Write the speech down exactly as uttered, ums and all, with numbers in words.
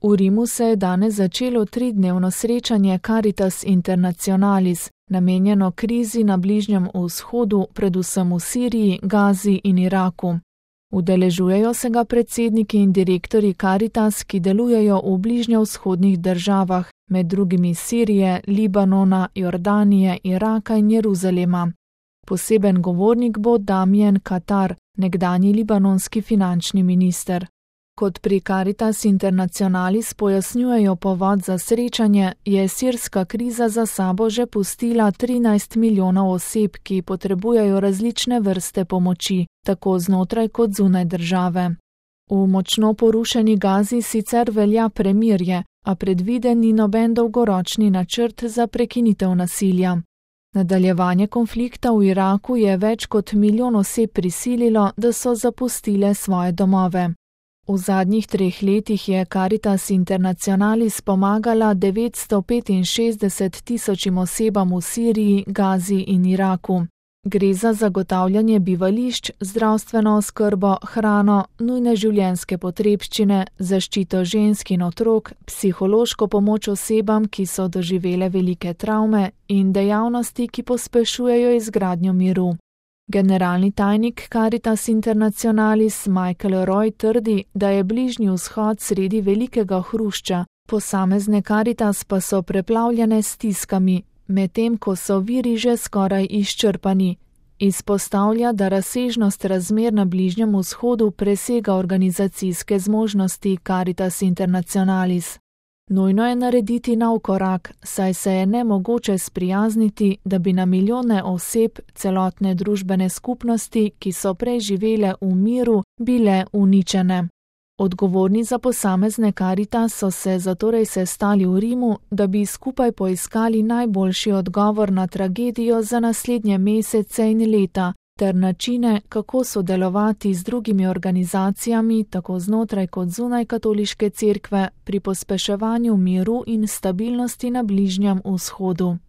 V Rimu se je danes začelo tridnevno srečanje Caritas Internationalis, namenjeno krizi na Bližnjem vzhodu, predvsem v Siriji, Gazi in Iraku. Udeležujejo se ga predsedniki in direktorji Caritas, ki delujejo v bližnjevzhodnih državah, med drugimi Sirije, Libanona, Jordanije, Iraka in Jeruzalema. Poseben govornik bo Damien Katar, nekdanji libanonski finančni minister. Kot pri Caritas Internationalis pojasnjujejo povod za srečanje, je sirska kriza za sabo že pustila trinajst milijonov oseb, ki potrebujejo različne vrste pomoči, tako znotraj kot zunaj države. V močno porušeni Gazi sicer velja premirje, a predviden ni noben dolgoročni načrt za prekinitev nasilja. Nadaljevanje konflikta v Iraku je več kot milijon oseb prisililo, da so zapustile svoje domove. V zadnjih treh letih je Caritas Internationalis pomagala devetsto petinšestdeset tisočim osebam v Siriji, Gazi in Iraku. Gre za zagotavljanje bivališč, zdravstveno oskrbo, hrano, nujne življenjske potrebščine, zaščito žensk in otrok, psihološko pomoč osebam, ki so doživele velike travme, in dejavnosti, ki pospešujejo izgradnjo miru. Generalni tajnik Caritas Internationalis Michael Roy trdi, da je Bližnji vzhod sredi velikega hrušča, posamezne Caritas pa so preplavljene s stiskami, medtem ko so viri že skoraj izčrpani. Izpostavlja, da razsežnost razmer na Bližnjem vzhodu presega organizacijske zmožnosti Caritas Internationalis. Nujno je narediti nov korak, saj se je nemogoče sprijazniti, da bi na milijone oseb, celotne družbene skupnosti, ki so prej živele v miru, bile uničene. Odgovorni za posamezne Caritas so se zatorej sestali v Rimu, da bi skupaj poiskali najboljši odgovor na tragedijo za naslednje mesece in leta, ter načine, kako sodelovati z drugimi organizacijami, tako znotraj kot zunaj katoliške cerkve, pri pospeševanju miru in stabilnosti na Bližnjem vzhodu.